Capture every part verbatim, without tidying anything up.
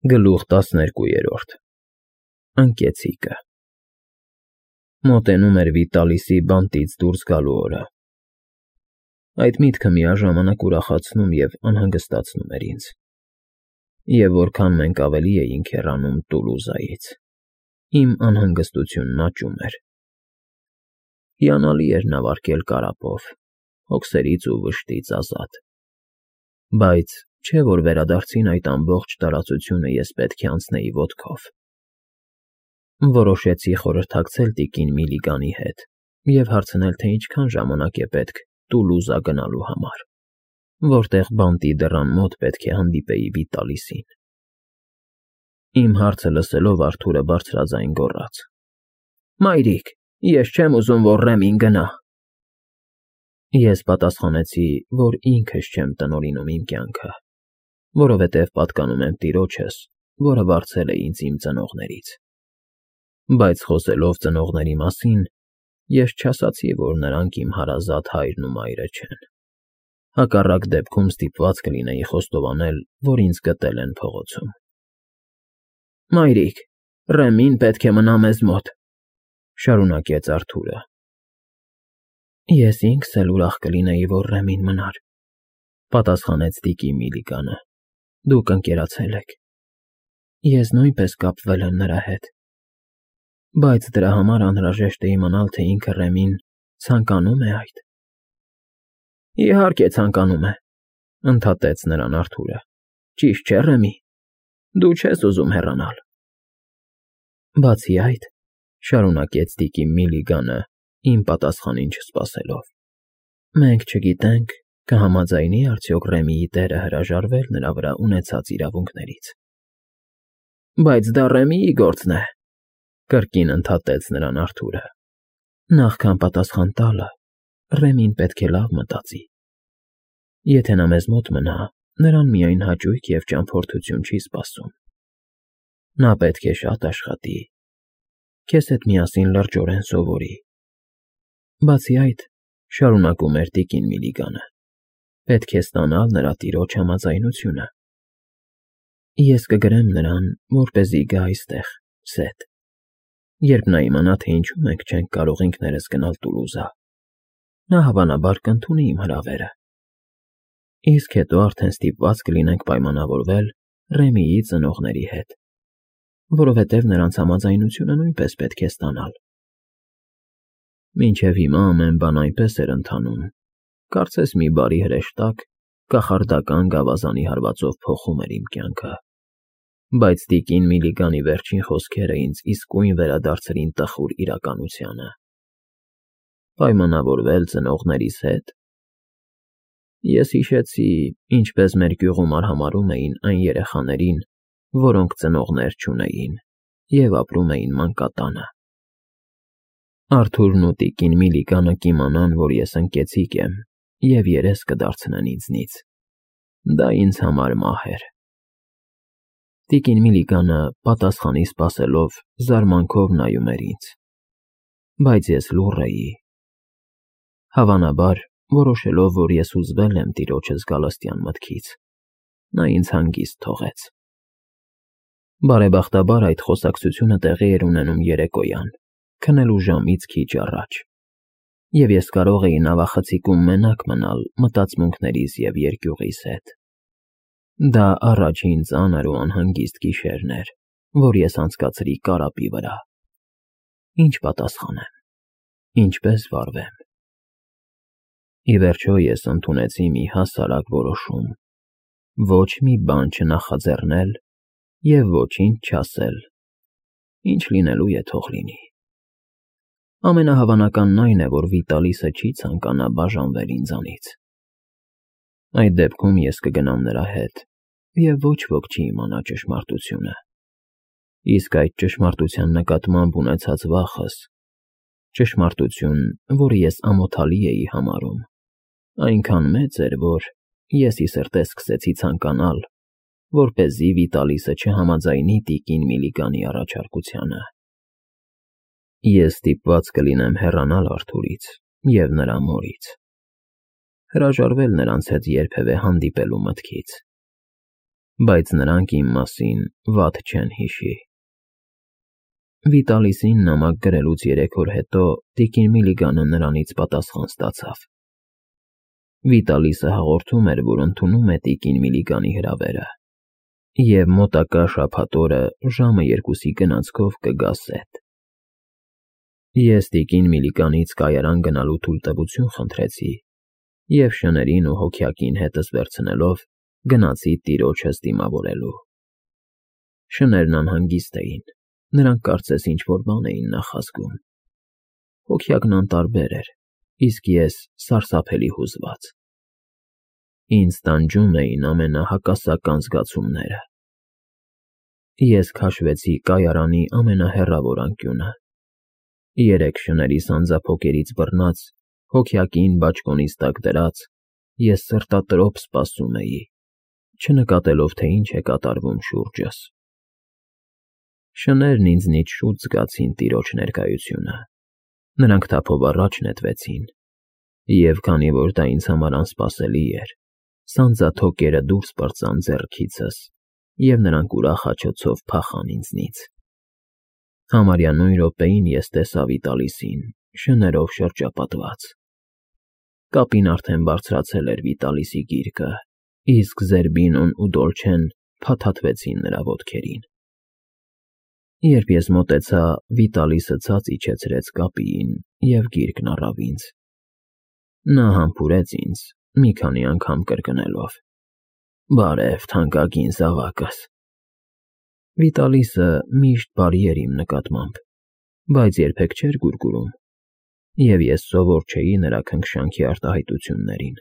Գլուխ տասներկուերորդ Ընկեցիկը Մոտենում էր Վիտալիսի բանտից դուրս գալու օրը։ Այդ միտքը միաժամանակ ուրախացնում և անհանգստացնում էր ինձ։ Եվ որքան մենք ավելի էինք հեռանում Տուլուզայից, իմ անհանգստությունն աճում էր։ Հիանալի էր նավարկել կարապով, հոգսերից ու վշտից ազատ։ Բայց չէ՞ որ վերադարձին այդ ամբողջ տարածությունը ես պետք է անցնեի ոտքով։ Որոշեցի խորհրդակցել տիկին Միլիգանի հետ և հարցնել, թե ինչքան ժամանակ է պետք Տուլուզա գնալու համար, որտեղ բանտի դռան մոտ պետք է հանդիպեի Վիտալիսին։ Իմ հարցը լսելով Արթուրը բարձրաձայն գոռաց. «Մայրիկ, ես չեմ ուզում, որ Ռեմին գնա»։ Ես պատասխանեցի, որ ինքս չեմ տնօրինում իմ կյանքը, որովհետև պատկանում եմ տիրոջս, որը վարձել է ինձ իմ ծնողներից։ Բայց խոսելով ծնողների մասին, ես չասացի, որ նրանք իմ հարազատ հայրն ու մայրը չեն։ Հակառակ դեպքում ստիպված կլինեի խոստովանել, որ ինձ գտել են փողոցում։ «Մայրիկ, Ռեմին պետք է մնա մեզ մոտ», ֊ շարունակեց Արթուրը։ Ես ինքս էլ ուրախ կլինեի, որ Ռեմին մնար, ֊ պատասխանեց տիկին Միլիգանը։ Դուք ընկերացել եք։ Ես նույնպես կապվել եմ նրա հետ։ Բայց դրա համար անհրաժեշտ է իմանալ, թե ինքը Ռեմին ցանկանում է այդ։ Իհարկե ցանկանում է, ֊ ընդհատեց նրան Արթուրը։ Ճիշտ չէ, Ռեմի, դու չես ուզում հեռանալ։ Բացի այդ, ֊ շարունակեց տիկին Միլիգանը, իմ պատասխանին չսպասելով, մենք չգիտենք, կհամաձայնի՞ արդյոք Ռեմիի տերը հրաժարվել նրա վրա ունեցած իրավունքներից։ Բայց դա Ռեմիի գործն է, ֊ կրկին ընդհատեց նրան Արթուրը։ Նախքան պատասխան տալը, Ռեմին պետք է լավ մտածի։ Եթե նա մեզ մոտ մնա, նրան միայն հաճույք և ճամփորդություն չի սպասում։ Նա պետք է շատ աշխատի, քեզ հետ միասին լրջորեն սովորի։ Բացի այդ, ֊ շարունակում էր տիկին Միլիգանը, պետք է ստանալ նրա տիրոջ համաձայնությունը։ Ես կգրեմ նրան, որպեսզի գա այստեղ, Սեթ, երբ նա իմանա, թե ինչու մենք չենք կարող ինքներս գնալ Տուլուզա, նա հավանաբար կընդունի իմ հրավերը։ Իսկ հետո արդեն ստիպված կլինենք պայմանավորվել Ռեմիի ծնողների հետ, որովհետև նրանց համաձայնությունը նույնպես պետք է ստանալ։ Մինչև հիմա ամեն բան այնպես էր ընթանում, կարծես մի բարի հրեշտակ կախարդական գավազանի հարվածով փոխում էր իմ կյանքը։ Բայց տիկին Միլիգանի վերջին խոսքերը ինձ իսկույն վերադարձրին տխուր իրականությանը։ Պայմանավորվել ծնողներիս հետ։ Ես հիշեցի, ինչպես մեր գյուղում արհամարհում էին այն երեխաներին, որոնք ծնողներ չունեին և ապրում էին մանկատանը։ Արթուրն ու տիկին Միլիգանը կիմանան, որ ես ընկեցիկ եմ և երես կդարձնեն ինձնից։ Դա ինձ համար մահ էր։ Տիկին Միլիգանը պատասխանի սպասելով զարմանքով նայում էր ինձ։ Բայց ես լուռ էի։ Հավանաբար, որոշելով, որ ես հուզվել եմ տիրոջս գալստյան մտքից, նա ինձ հանգիստ թողեց։ Բարեբախտաբար այդ խոսակցությունը տեղի էր ունենում երեկոյան, քնելու ժամից քիչ առաջ, և ես կարող էի նավախցիկում մենակ մնալ մտածմունքներիս և երկյուղիս հետ։ Դա առաջին ծանր ու անհանգիստ գիշերն էր, որ ես անցկացրի կարապի վրա։ Ինչ պատասխանեմ, ինչպես վարվեմ։ Ի վերջո ես ընդունեցի մի հասարակ որոշում՝ ոչ մի բան չնախաձեռնել և ոչինչ չասել, ինչ լինելու է թող լինի։ Ամենահավանականն այն է, որ Վիտալիսը չի ցանկանա բաժանվել ինձանից։ Այդ դեպքում ես կգնամ նրա հետ, և ոչ ոք չի իմանա ճշմարտությունը։ Իսկ այդ ճշմարտության նկատմամբ ունեցած վախս, ճշմարտություն, որը ես ամոթալի էի համարում, այնքան մեծ էր, որ ես ի սրտե սկսեցի ցանկանալ, որպեսզի Վիտալիսը չհամաձայնի տիկին Միլիգանի առաջարկությանը։ Ես ստիպված կլինեմ հեռանալ Արթուրից և նրա մորից, հրաժարվել նրանց հետ երբևէ հանդիպելու մտքից։ բայց նրանք իմ մասին վատ չեն հիշի։ Վիտալիսին նամակ գրելուց երեք օր հետո տիկին Միլիգանը նրանից պատասխան ստացավ։ Վիտալիսը հաղորդում էր, որ ընդունում է տիկին Միլիգանի հրավերը և մոտակա շաբաթ օրը ժամը երկուսի գնացքով կգա Սեթ։ Ես տիկին Միլիգանից կայարան գնալու թույլտվություն խնդրեցի և շներին ու հոգյակին հետս վերցնելով գնացի տիրոջս դիմավորելու։ Շներն անհանգիստ էին, նրանք կարծես ինչ-որ բան էին նախազգում։ Հոգյակն անտարբեր էր, իսկ ես սարսափելի հուզված։ Ինձ տանջում էին ամենահակասական զգացումները։ Ես քաշվեցի կայարանի ամենահեռավոր անկյունը։ Երեք շների սանձափոկերից բռնած, հոգյակին բաճկոնիս տակ դրած, ես սրտատրոփ սպասում էի, չնկատելով, թե ինչ է կատարվում շուրջս։ Շներն ինձնից շուտ զգացին տիրոջ ներկայությունը։ Նրանք թափով առաջ նետվեցին, և քանի որ դա ինձ համար անսպասելի էր, սանձաթոկերը դուրս պրծան ձեռքիցս, և նրանք ուրախ աջոցով փախան ինձնից։ Համարյա նույն րոպեին ես տեսա Վիտալիսին, շներով շրջապատված։ Կապին արդեն բարձրացել էր Վիտալիսի գիրկը, իսկ Զերբինոն ու Դոլչեն փաթաթվեցին նրա ոտքերին։ Երբ ես մոտեցա, Վիտալիսը ցած իջեցրեց կապիին և գիրկն առավ ինձ։ Նա համբուրեց ինձ, մի քանի անգամ կրկնելով. «Բարև, թանկագին զավակս»։ Վիտալիսը միշտ բարի էր իմ նկատմամբ, բայց երբեք չէր գուրգուրում, և ես սովոր չէի նրա քնքշանքի արտահայտություններին,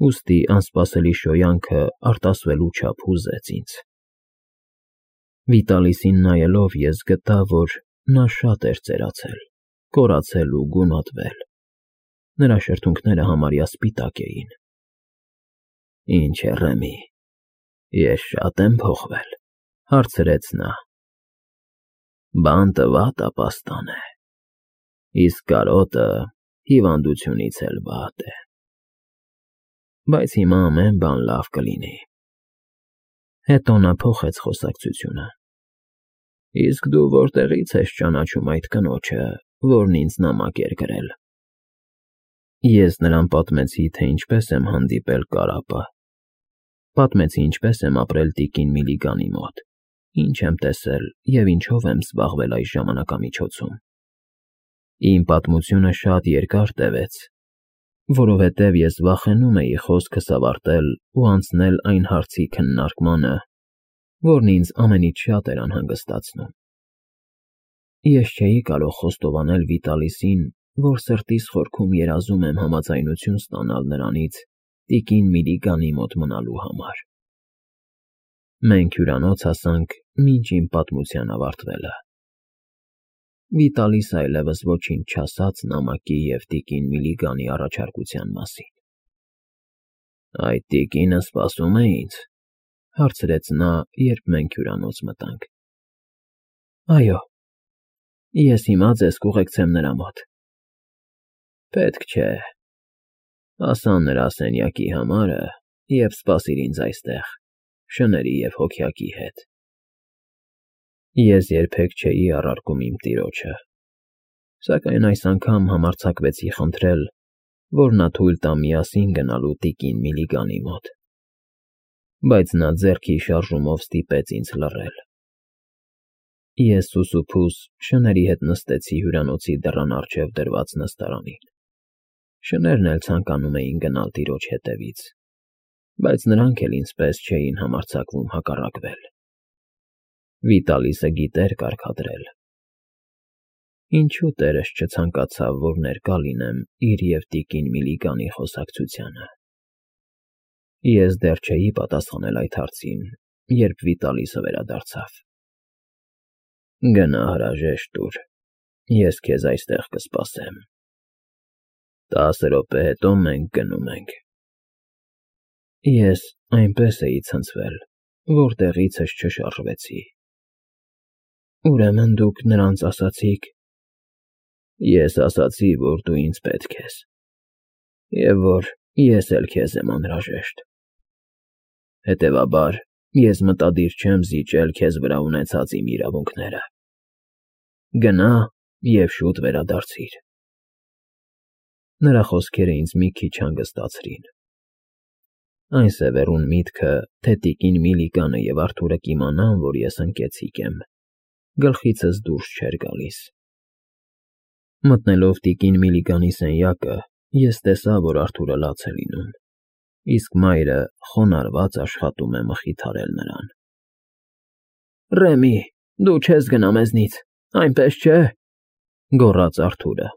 ուստի անսպասելի շոյանքը արտասվելու չափ հուզեց ինձ։ Վիտալիսին նայելով ես գտա, որ նա շատ էր ծերացել, կորացել ու գունատվել։ Նրա շրթունքները համարյա սպիտակ էին։ «Ինչ է, Ռեմի, ես շատ եմ փոխվել», հարցրեց նա։ «Բանտը վատ ապաստան է, իսկ կարոտը հիվանդությունից էլ վատ է, բայց հիմա ամեն բան լավ կլինի»։ Հետո նա փոխեց խոսակցությունը։ «Իսկ դու որտեղից ես ճանաչում այդ կնոջը, որն ինձ նամակ էր գրել»։ Ես նրան պատմեցի, թե ինչպես եմ հանդիպել Կարապը։ Պատմեցի, ինչպես եմ ապրել տիկին Միլիգանի մոտ, ինչ եմ տեսել և ինչով եմ զբաղվել այս ժամանակամիջոցում։ Իմ պատմությունը շատ երկար տևեց, որովհետև ես վախենում էի խոսքս ավարտել ու անցնել այն հարցի քննարկմանը, որն ինձ ամենից շատ էր անհանգստացնում։ Ես չէի կարող խոստովանել Վիտալիսին, որ սրտիս խորքում երազում եմ համաձայնություն ստանալ նրանից տիկին Միլիգանի մոտ մնալու համար։ Մենք հյուրանոց հասանք մինչ իմ պատմության ավարտվելը։ Վիտալիսը այլևս ոչինչ չասաց նամակի և տիկին Միլիգանի առաջարկության մասին։ «Այդ տիկինը սպասում է ինձ», հարցրեց նա, երբ մենք հյուրանոց մտանք։ «Այո, ես հիմա ձեզ կուղեկցեմ նրա մոտ»։ «Պետք չէ, ասա նրա սենյակի համարը և սպասիր ինձ այստեղ, շների և հոգյակի հետ»։ Ես երբեք չէի առարկում իմ տիրոջը, սակայն այս անգամ համարձակվեցի խնդրել, որ նա թույլ տա միասին գնալու տիկին Միլիգանի մոտ, բայց նա ձեռքի շարժումով ստիպեց ինձ լռել։ Ես սուսուփուս շների հետ նստեցի հյուրանոցի դռան առջև դրված նստարանին։ Շներն էլ ցանկանում էին գնալ տիրոջ հետևից, բայց նրանք էլ ինձ պես չէին համարձակվում հակառակվել։ Վիտալիսը գիտեր կարգադրել։ Ինչու տերս չցանկացավ, որ ներկա լինեմ իր և տիկին Միլիգանի խոսակցությանը։ Ես դեռ չէի պատասխանել այդ հարցին, երբ Վիտալիսը վերադարձավ։ «Գնա հրաժեշտ տուր, ես քեզ այստեղ կսպասեմ։ Տասը րոպե հետո մենք գնում ենք»։ Ես այնպես էի ցնցվել, որ տեղիցս չշարժվեցի։ «Ուրեմն դուք նրանց ասացիք»։ Ես ասացի, որ դու ինձ պետք ես, և որ ես էլ քեզ եմ անհրաժեշտ։ Հետևաբար, ես մտադիր չեմ զիջել քեզ վրա ունեցած իմ իրավունքները։ Գնա և շուտ վերադարձիր։ Նրա խոսքերը ինձ մի քիչ հանգստացրին։ Այն սևեռուն միտքը, թե տիկին Միլիգանը և Արթուրը կիմանան, որ ես ընկեցիկ եմ, գլխիցս դուրս չէր գալիս։ Մտնելով տիկին Միլիգանի սենյակը, ես տեսա, որ Արթուրը լաց է լինում, իսկ մայրը խոնարհված աշխատում է մխիթարել նրան։ Ռեմի, դու չես գնա մեզնից, այնպես չէ՞, գոռաց Արթուրը։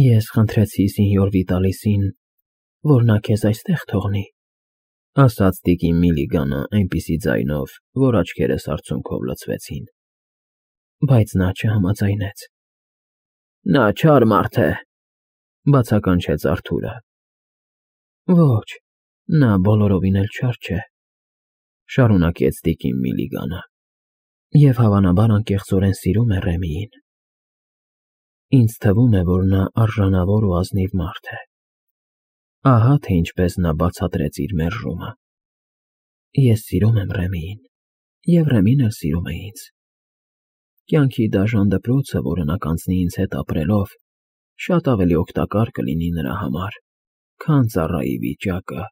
Ես խնդրեցի սենյոր Վիտալիսին, որ նա քեզ այստեղ թողնի, ասաց տիկին Միլիգանը այնպիսի ձայնով, որ աչքերս արցունքով լցվեցին, բայց նա չհամաձայնեց։ Նա չար մարդ է, բացականչեց Արթուրը։ Ոչ, նա բոլորովին էլ չար չէ, շարունակեց տիկին Միլիգանը, և հավանաբար անկեղծորեն սիրում է Ռեմիին։ Ինձ թվում է, որ նա արժանավոր ու ազնիվ մարդ է։ Ահա թե ինչպես նա բացատրեց իր մերժումը։ Ես սիրում եմ Ռեմիին, և Ռեմին էլ սիրում է ինձ։ Կյանքի դաժան դպրոցը, որը նա կանցնի ինձ հետ ապրելով, շատ ավելի օգտակար կլինի նրա համար, քան ծառայի վիճակը,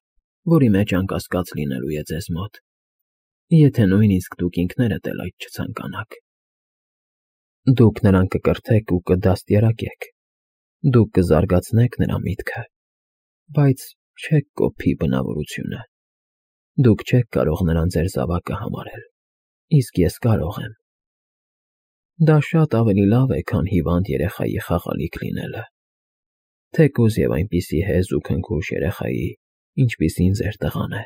որի մեջ անկասկած լինելու է ձեզ մոտ, եթե նույնիսկ դուք ինքներդ էլ այդ չցանկանաք։ Դուք նրան կկրթեք ու կդաստիարակեք, դուք կզարգացնեք նրա միտքը, բայց չեք կոփի բնավորությունը։ Դուք չեք կարող նրան ձեր զավակը համարել, իսկ ես կարող եմ։ Դա շատ ավելի լավ է, քան հիվանդ երեխայի խաղալիք լինելը, թեկուզ և այնպիսի հեզ ու քնքուշ երեխայի, ինչպիսին ձեր տղան է։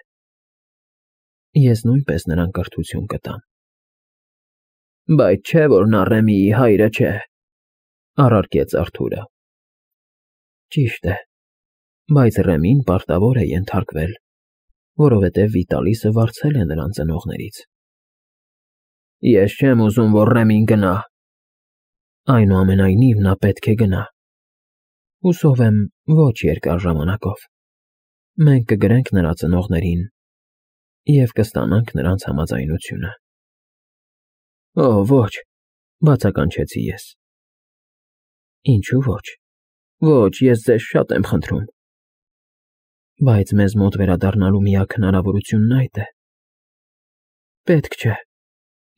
Ես նույնպես նրան կրթություն կտամ։ Բայց չէ՞ որ նա Ռեմիի հայրը չէ, առարկեց Արթուրը։ Ճիշտ է, բայց Ռեմին պարտավոր է ենթարկվել, որովհետև Վիտալիսը վարձել է նրան ծնողներից։ Ես չեմ ուզում, որ Ռեմին գնա։ Այնուամենայնիվ նա պետք է գնա։ Հուսով եմ, ոչ երկար ժամանակով։ Մենք կգրենք նրա ծնողներին և կստանանք նրանց համաձայնությունը։ Օ, ոչ, բացականչեցի ես։ Ինչու ոչ։ Ոչ, ես ձեզ շատ եմ խնդրում։ Բայց մեզ մոտ վերադառնալու միակ հնարավորությունն այդ է։ Պետք չէ,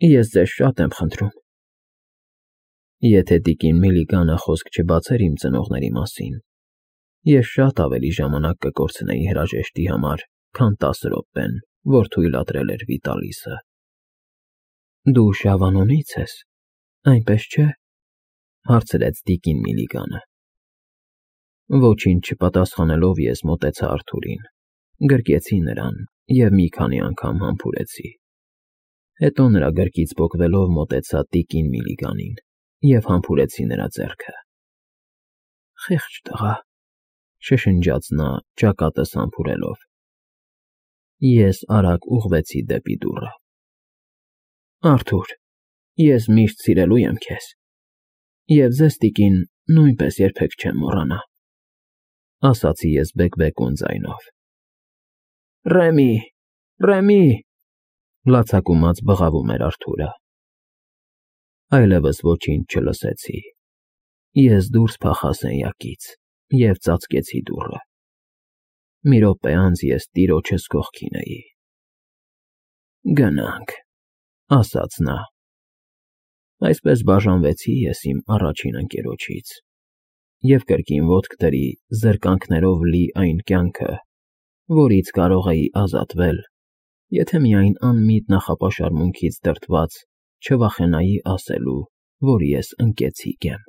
ես ձեզ շատ եմ խնդրում։ Եթե տիկին Միլիգանը խոսք չբացեր իմ ծնողների մասին, ես շատ ավելի ժամանակ կկորցնեի հրաժեշտի համար, քան տասը րոպեն, որ թույլատրել էր Վիտալիսը։ Դու Շավանոնից ես, այնպես չէ՞, հարցրեց տիկին Միլիգանը։ Ոչինչ չպատասխանելով ես մոտեցա Արթուրին, գրկեցի նրան և մի քանի անգամ համբուրեցի։ Հետո նրա գրկից պոկվելով մոտեցա տիկին Միլիգանին և համբուրեցի նրա ձեռքը։ Խեղճ տղա, շշնջաց նա ճակատս համբուրելով։ Ես արագ ուղղվեցի դեպի դուռը։ Արթուր, ես միշտ սիրելու եմ քեզ, և ձեզ, տիկին, նույնպես երբեք չեմ մոռանա, ասացի ես բեկբեկուն ձայնով։ Ռեմի, Ռեմի, լացակումած բղավում էր Արթուրը։ Այլևս ոչինչ չլսեցի։ Ես դուրս փախա սենյակից և ծածկեցի դուռը։ Մի րոպե անց ես տիրոջս կողքին էի։ Գնանք, ասաց նա։ Այսպես բաժանվեցի ես իմ առաջին ընկերոջից և կրկին ոտք դրի զրկանքներով լի այն կյանքը, որից կարող էի ազատվել, եթե միայն անմիտ նախապաշարմունքից դրդված չվախենայի ասելու, որ ես ընկեցիկ եմ։